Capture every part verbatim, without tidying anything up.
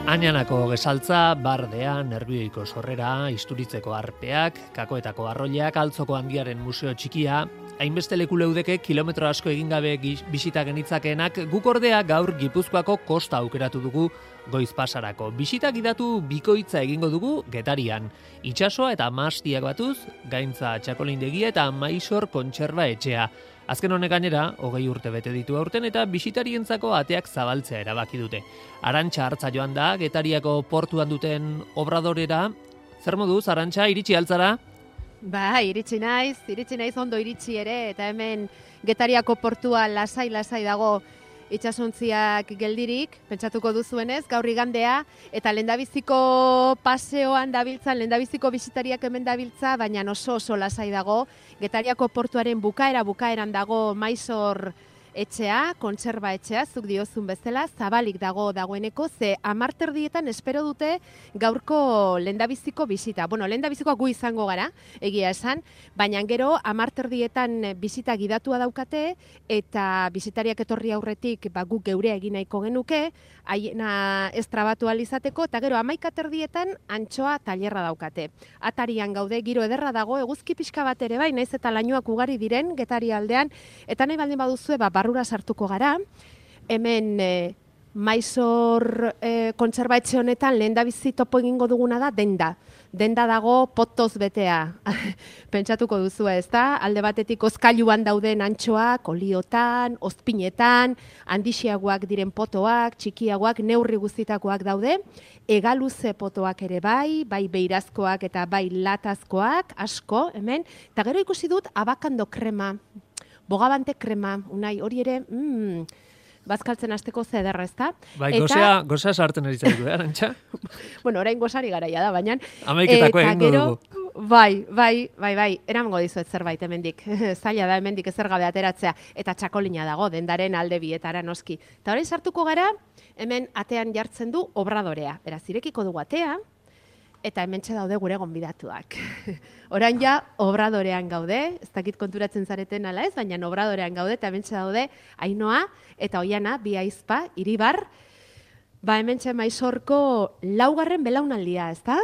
Añanako gesaltza, bardea, nerbioiko sorrera, isturitzeko arpeak, kakoetako arroileak, altzoko handiaren museo txikia, hainbeste leku leudeke kilometro asko egin gabe bisita genitzakeenak, guk ordea gaur Gipuzkoako kosta aukeratu dugu goiz pasarako. Bisita gidatu bikoitza egingo dugu Getarian. Itsasoa eta mastiak batuz, gaintza txakolindegia eta maisor kontserba etxea. Azken honek gainera, hogei urte bete ditu aurten eta bisitarientzako ateak zabaltzea erabaki dute. Arantxa hartza joan da, Getariako portuan duten obradorera. Zer moduz, Arantxa, iritsi altzara? Ba, iritsi naiz, iritsi naiz ondo iritsi ere, eta hemen Getariako portua lasai-lasai dago itsasontziak geldirik, pentsatuko duzuenez, gaur igandea, eta lehendabiziko paseoan dabiltza, lehendabiziko bisitariak hemen dabiltza, baina oso oso lasai dago. Getariako portuaren bukaera bukaeran dago maisor etxea, kontserba etxea, zuk diozun bezala, zabalik dago dagoeneko, ze amarterdietan espero dute gaurko lehendabiziko bisita. Bueno, lehendabizikoa gu izango gara, egia esan, baina gero amarterdietan bisita gidatua daukate, eta bisitariak etorri aurretik ba, guk geurea egin nahiko genuke, haiena ez trabatu alizateko, eta gero amaikaterdietan antxoa tailerra daukate. Atarian gaude, giro ederra dago, eguzki pixka bat ere bai, naiz eta lainoak ugari diren, Getari aldean, eta nahi baldin baduzue, ba, barrura sartuko gara, hemen e, maisor e, kontserba etxe honetan lehendabizi topo egingo duguna da denda. Denda dago potoz betea. Pentsatuko duzu ez da, alde batetik ozkailuan dauden antxoak, oliotan, ozpinetan, handixiagoak diren potoak, txikiagoak, neurri guztitakoak daude, egaluze potoak ere bai, bai beirazkoak eta bai latazkoak, asko, hemen, eta gero ikusi dut abakando krema, bogabante krema, unai, hori ere, mm, bazkaltzen hasteko zederra, ez da? Bai, eta... gozea, gozea sartzen eritzaitu, eh, Arantxa? Bueno, orain gozari garaia da, baina... Amaiketako egingo dugu. Bai, bai, bai, bai, eramango dizuet zerbait hemendik. Zaila da hemendik ezer gabe ateratzea, eta txakolina dago, dendaren alde bietara noski. Eta orain sartuko gara, hemen atean jartzen du obradorea. Beraz, irekiko dugu atea, eta hementxe daude gure gonbidatuak. Orain ja, obradorean gaude, ez dakit konturatzen zareten ala ez, baina obradorean gaude, eta hementxe daude Ainoa eta Oiana, bi aizpa, Iribar, ba hementxe maisorko laugarren belaunaldia, ez da?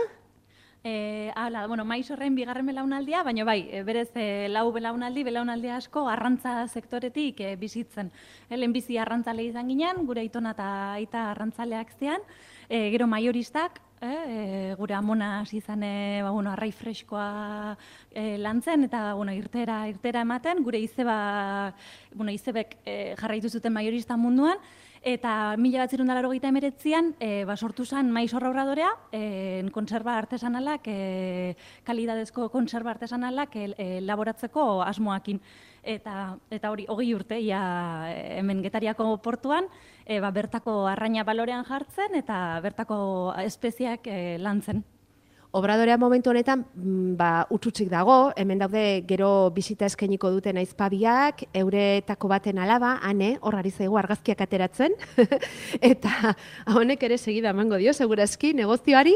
E, hala, bueno, maisorren bigarren belaunaldia, baina bai, berez e, lau belaunaldi, belaunaldi asko arrantza sektoretik e, bizitzen. E, lehenbizi arrantzale izan ginen, gure aitona eta aita arrantzaleak zean, e, gero maioristak, e, e, gure amona hasi izan e, ba, bueno, arrai freskoa e, lantzen, eta bueno, irtera, irtera ematen, gure izeba, bueno, izebek e, jarraitu zuten maiorista munduan, eta mila bat zirun dalaro gita emeretzian, e, ba, sortu zen maizorra obradorea, e, kontserba artesanalak, e, kalidadezko kontserba artesanalak e, e, laboratzeko asmoakin. Eta, eta hori, hogei urte, ia, hemen Getariako portuan, e, ba, bertako arraina balorean jartzen, eta bertako espeziak e, lantzen. Obradorea momentu honetan, ba, utxutxik dago, hemen daude gero bisita eskainiko duten aizpabiak, euretako baten alaba, ane, horrari zaigu argazkiak ateratzen, eta honek ere segida emango dio, segurazki, negozioari,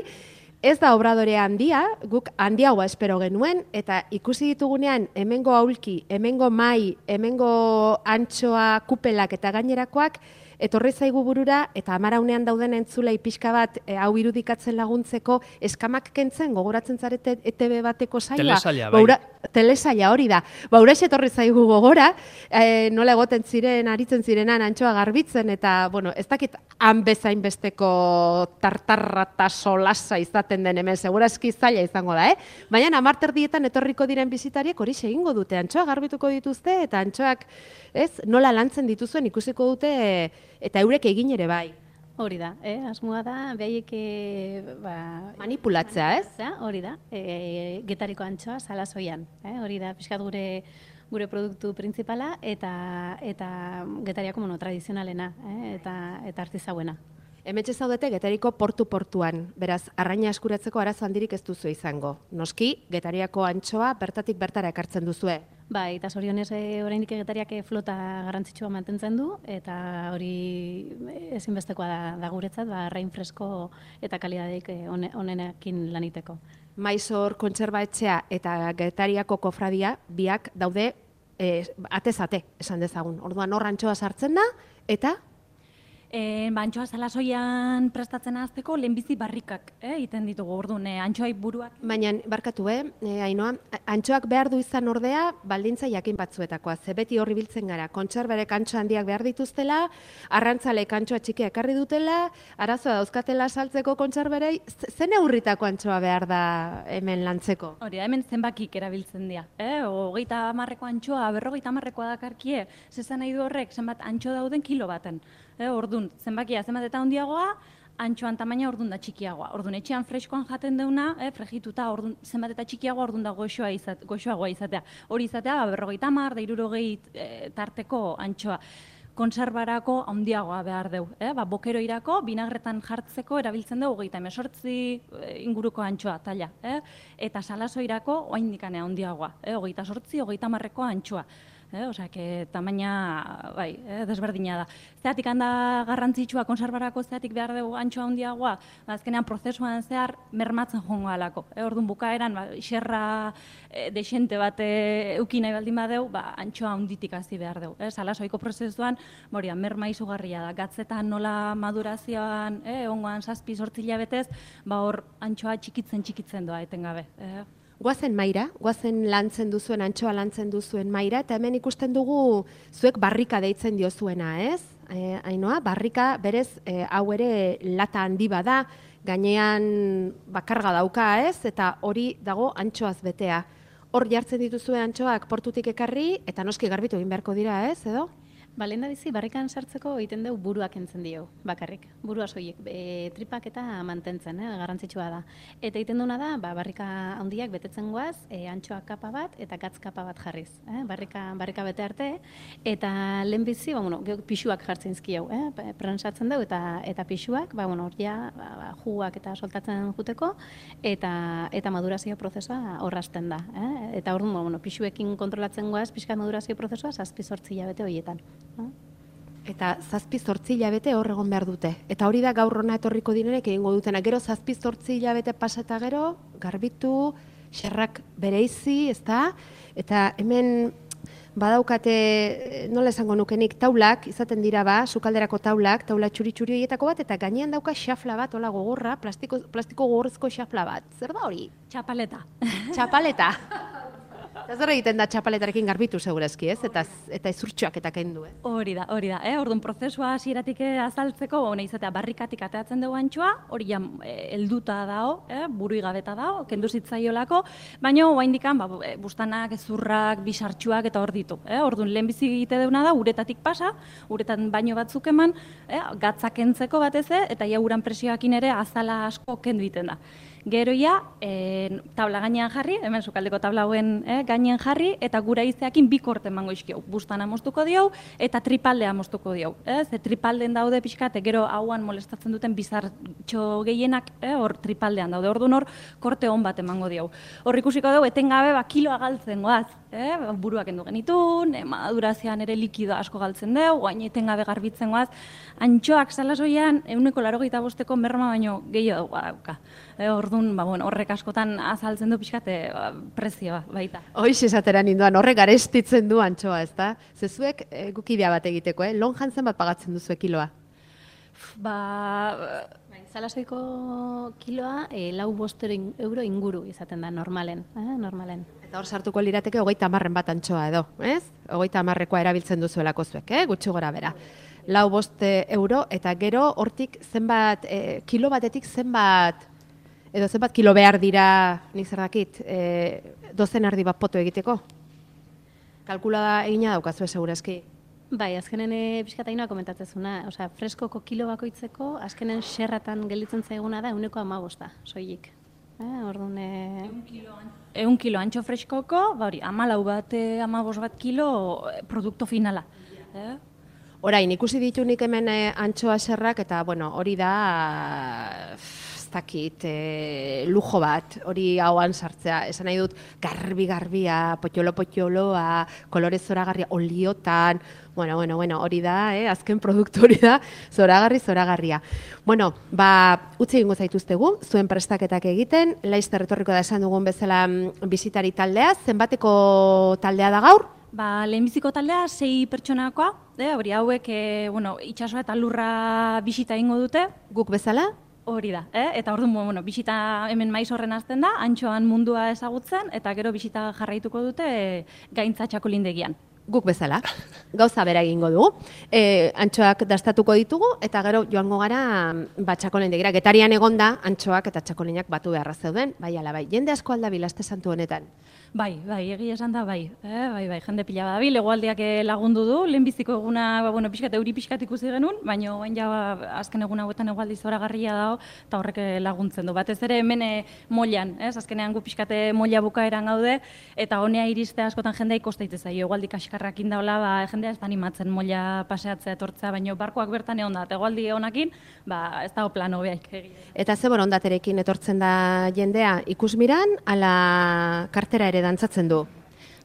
ez da obradorea handia, guk handiagoa espero genuen, eta ikusi ditugunean hemengo aulki, hemengo mai, hemengo antxoa kupelak eta gainerakoak, etorri zaigu burura, eta amaraunean dauden entzulei pixka bat e, hau irudikatzen laguntzeko eskamak kentzen, gogoratzen zarete E T B bateko saioa. Telesaila, bai. Baura, telesaila hori da. Bauraxe etorri zaigu gogora, e, nola egoten ziren, aritzen zirenan antxoa garbitzen, eta, bueno, ez dakit han bezain besteko tartarra eta solasa izaten den hemen, segurazki zaila izango da, eh? Baina amarterdietan etorriko diren bizitariek hori egingo dute, antxoa garbituko dituzte, eta antxoak, ez, nola lantzen dituzuen ikusiko dute, eta eurek egin ere bai. Hori da, eh? Asmoa da, behaiek ba, manipulatzea, ez? Hori da, e, Getariko antxoa salasoian. Eh? Hori da, pixkat gure, gure produktu printzipala eta, eta Getariako mono tradizionalena, eh? eta, eta artizauena. Hemetxe zaudete Getariko portu-portuan, beraz, arraina eskuratzeko arazo handirik ez duzu izango. Noski, Getariako antxoa bertatik bertara ekartzen duzue. Bai, eta zorionez e, oraindik Getariak flota garrantzitsua mantentzen du, eta hori ezinbestekoa da, da guretzat, ba, arrain fresko eta kalidadeik onenekin laniteko. Maisor kontserba etxea eta Getariako kofradia biak daude e, atez ate, esan dezagun. Orduan hor antxoa sartzen da, eta... E, ba, antxoa salasoian prestatzen azteko lehenbizi barrikak eh, egiten ditugu, orduan, e, antxoai buruak. Baina, barkatu, eh, e, Ainoa, antxoak behar du izan ordea, baldintza jakin batzuetakoa. Ze beti horri biltzen gara, kontserbarek antxo handiak behar dituztela, arrantzalek antxoa txikia ekarri dutela, arazoa dauzkatela saltzeko kontserbarei, zen neurritako antxoa behar da hemen lantzeko? Hori, hemen zenbakik erabiltzen dira. Eh? Hogeita hamarreko antxoa, berrogeita hamarrekoa dakarkie, zezan nahi du horrek, zenbat antxo dauden kilo baten. Eh, ordun, zenbakia zenbat eta handiagoa, antxoan tamaina ordun da txikiagoa. Ordun, etxean freskoan jaten deuna, eh, frejituta ordun zenbat eta txikiagoa ordun da goxoa izat, goxoagoa izatea. Hori izatea, ba, berrogeita hamar, da hirurogei e, tarteko antxoa. Konserbarako handiagoa behar deu. Eh? Ba, bokeroirako, binagretan jartzeko erabiltzen dugu hogeita hemezortzi inguruko antxoa taila. Eh? Eta salasoirako oaindikane handiagoa. Eh? Hogeita sortzi, hogeita hamarreko antxoa. Eh, Osea, que tamaina, bai, eh, desberdina da. Zeatik handa garrantzitsua konserbarako zeatik behar dugu antxoa handiagoa, ba, azkenean prozesuan zehar mermatzen joango alako. Eh, orduan bukaeran, ba, xerra eh, desente bat eh, euki nahi baldin badeu, ba, antxoa handitik hasi behar dugu. Eh, salasoiko prozesuan, boria, merma izugarria da. Gatzetan nola madurazioan, eh, ongoan zazpi sortzi hilabetez, ba, hor antxoa txikitzen txikitzen doa etengabe. Eh. Guazen maira, guazen lantzen duzuen, antxoa lantzen duzuen maira, eta hemen ikusten dugu zuek barrika deitzen diozuena, ez? E, Ainoa, barrika berez e, hau ere lata handi bada, gainean bakarga dauka, ez? Eta hori dago antxoaz betea. Hor jartzen dituzuen antxoak portutik ekarri, eta noski garbitu egin beharko dira, ez, edo? Ba, lehen da bizi, barrikan sartzeko egiten dugu buruak entzen dio, bakarrik. Burua soilik, e, tripak eta mantentzen, eh, garrantzitsua da. Eta egiten duena da, ba, barrika handiak betetzen goaz, e, antxoa kapa bat eta gatz kapa bat jarriz. Eh? Barrika, barrika bete arte, eta lehen bizi, ba, bueno, pixuak jartzen izkiau, eh? Prensatzen dugu, eta, eta pixuak, ba, bueno, ja, ba, ba, juguak eta soltatzen juteko, eta, eta madurazio prozesua horrazten da. Eh? Eta hor, bueno, pixuekin kontrolatzen goaz, pixka madurazio prozesua, zazpi zortzi hilabete horietan. Eta zazpi zortzi hilabete hor egon behar dute. Eta hori da gaur hona etorriko direnek egingo dutena. Gero zazpi zortzi hilabete pasata gero, garbitu, xerrak bereizi, ezta? Eta hemen badaukate, nola esango nukenik, taulak, izaten dira ba, sukalderako taulak, taula txuri-txuri horietako bat, eta gainean dauka xafla bat, hola gogorra, plastiko, plastiko gogorrezko xafla bat. Zer da hori? Txapaleta. Txapaleta. Eta zer egiten da txapaletarekin garbitu segurazki, ez? Eta, eta izurtxoak eta kendu, eh? Hori da, hori da. Eh? Orduan prozesua hasieratik azaltzeko, bona izatea barrikatik ateatzen dugu antxoa, hori ja helduta dao, eh? Burui gabeta dao, kendu zitzaiolako, baina oraindikan ba, bustanak, ezurrak, bisartxuak eta hor ditu. Eh? Orduan lehenbizi egite deuna da, uretatik pasa, uretan baino batzuk eman, eh? Gatzak kentzeko batez, eta ja uran presioakin ere azala asko kendu egiten da. Gero ja, e, tabla gainean jarri, hemen sukaldeko tabla hauen eh, gainean jarri, eta gura izeakin bi korte emango izkiau. Bustana moztuko diau, eta tripaldea moztuko diau. Eh? Ze tripalden daude pixkate, gero hauan molestatzen duten bizartxo gehienak, eh, hor tripaldean daude. Orduan hor, korte hon bat emango diau. Hor ikusiko dugu, etengabe ba, kiloa galtzen goaz. Eh? Buruak endu genitun, eh, madurazioan ere likido asko galtzen dugu, guain etengabe garbitzen goaz. Antxoak salasoian, euneko larogeita bosteko merma baino gehiago dauka. Eh, orduan, ba, bueno, horrek askotan azaltzen du pixkate ba, prezioa baita. Hoiz esatera ninduan, horrek garestitzen du antxoa, ez da? Zezuek e, gukidea bat egiteko, eh? Lon jantzen bat pagatzen duzu kiloa? Ba... Bai, salasoiko kiloa e, lau bostero euro inguru izaten da normalen, eh? normalen. Eta hor sartuko lirateke hogeita hamarren bat antxoa edo, ez? Hogeita hamarrekoa erabiltzen duzuelako zuek, eh? Gutxi gora bera. Lau boste euro, eta gero hortik zenbat, e, kilo batetik zenbat, edo zenbat kilo behar dira, nik zer dakit, e, dozen erdi bat poto egiteko? Kalkulada egina daukazue segurazki. Bai, azkenen e, pixkatainoa komentatzezuna, osea, freskoko kilo bakoitzeko, azkenen xerratan gelditzen zaiguna da euneko amabosta, soilik. Eh, orduan... E... Eun kilo antxo freskoko, ba hori, amalau bat, e, amabos bat kilo produkto finala. Eh? Orain, ikusi ditu nik hemen e, antxoa xerrak, eta bueno, hori da... ez dakit, e, lujo bat, hori hauan sartzea, esan nahi dut, garbi-garbia, potxolo-potxoloa, kolorez zoragarria, oliotan, bueno, bueno, bueno, hori da, eh, azken produktu hori da, zoragarri-zoragarria. Bueno, ba, utzi egingo zaituztegu, zuen prestaketak egiten, laizter etorriko da esan dugun bezala bisitari taldea, zenbateko taldea da gaur? Ba, lehenbiziko taldea sei pertsonakoa, eh, hori hauek, e, bueno, itsasoa eta lurra bisita egingo dute. Guk bezala? Hori da, eh? Eta orduan, bueno, bisita hemen maiz horren hasten da, antxoan mundua ezagutzen, eta gero bisita jarraituko dute e, gaintza txakolindegian. Guk bezala, gauza bera egingo dugu. E, antxoak dastatuko ditugu, eta gero joango gara ba, txakolindegira. Getarian egonda, antxoak eta txakolinak batu beharra zeuden, bai ala bai. Jende asko aldabil aste santu honetan. Bai, bai, egia esan da, bai, eh? bai, bai, jende pila badabil, hegoaldeak lagundu du, lehenbiziko eguna, ba, bueno, pixkat, euri pixkat ikusi genuen, baina bain ja, ba, azken egun hauetan hegoaldi zoragarria dago, eta horrek laguntzen du. Batez ere hemen e, moilan, ez? Azkenean gu pixkate moila bukaeran gaude, eta honea iriste askotan jendea ikosteite zaio, hegoaldi kaskarrak indaula, ba, jendea ez da animatzen moila paseatzea etortzea, baina barkoak bertan egon da, eta hegoaldi honakin, ba, ez dago plano behaik. Eta ze borondaterekin etortzen da jendea, ikusmiran, ala kartera ere dantzatzen du?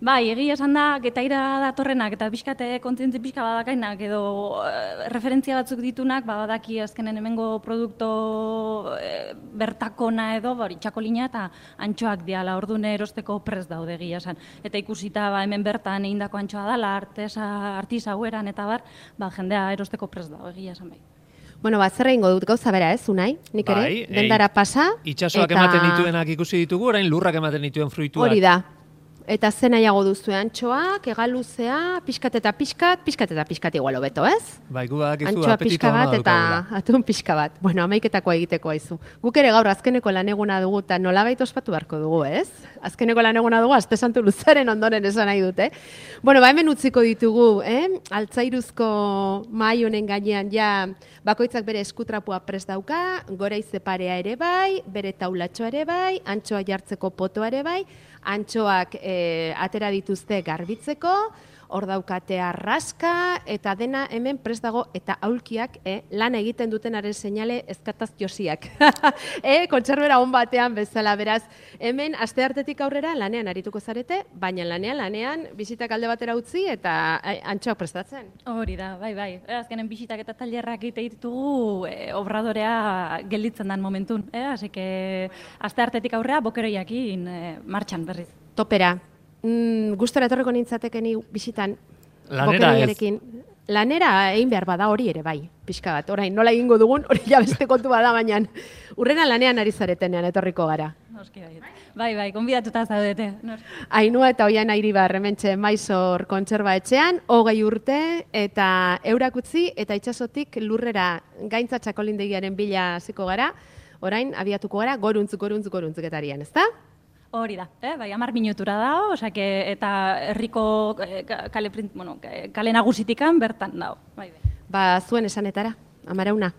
Bai, egia esan da, getaira datorrenak eta pixkate kontzientzi pixka badakainak edo e, referentzia batzuk ditunak, ba, badaki azkenen hemengo produkto e, bertakona edo, hori txakolina eta antxoak diala, ordune erosteko prest daude egia esan. Eta ikusita ba, hemen bertan egindako antxoa dala, artesa, artisa hueran eta bar, ba, jendea erosteko prest dago egia esan bai. Bueno, ba, zer egingo dut gauza bera ez, Unai? Nik ere, bai, dendara pasa. Itxasoak eta... ematen dituenak ikusi ditugu, orain lurrak ematen dituen fruituak. Hori da. Eta ze nahiago duzu antxoak, egaluzea, pixkat eta pixkat, pixkat eta pixkat igual hobeto, ez? Bai, gu badakizu Antxoa apetito pixka ona bat eta daukagula. atun pixka bat. Bueno, amaiketako egiteko aizu. Guk ere gaur azkeneko laneguna dugu eta nolabait ospatu beharko dugu, ez? Azkeneko laneguna dugu, aste santu luzaren ondoren esan nahi dute. Bueno, ba hemen utziko ditugu, eh? Altzairuzko mahai honen gainean ja bakoitzak bere eskutrapua prest dauka, goraize parea ere bai, bere taulatxoa ere bai, antxoa jartzeko potoa ere bai, antxoak e, atera dituzte garbitzeko, hor daukate arraska, eta dena hemen prest dago, eta aulkiak e, lan egiten dutenaren seinale ezkataz josiak. e, kontserbera on batean bezala, beraz, hemen aste hartetik aurrera lanean arituko zarete, baina lanean, lanean, bisitak alde batera utzi, eta e, antxoak prestatzen. Hori da, bai, bai. Azkenen bisitak eta tailerrak egite ditugu e, obradorea gelditzen dan momentun. Eh? Así que aste hartetik aurrea bokeroiakin e, martxan berriz. Topera. Mm, gustora etorreko nintzatekeni bisitan Lanera bokeroiarekin. Lanera egin behar bada hori ere bai, pixka bat. Orain, nola egingo dugun, hori ja beste kontu bada, baina urrena lanean ari zaretenean etorriko gara. Noski bai. Bai, bai, konbidatuta zaudete. Ainua eta Oian Airibar hementxe Maizor kontserba etxean, hogei urte eta eurak utzi eta itsasotik lurrera gaintza txakolindegiaren bila hasiko gara. Orain abiatuko gara goruntz, goruntz, goruntz getarian, ezta? Hori da, eh? Bai, hamar minutura dago, osake, eta herriko eh, kale, bueno, kale nagusitikan bertan dago. Bai, bai. Ba, zuen esanetara, Amarauna.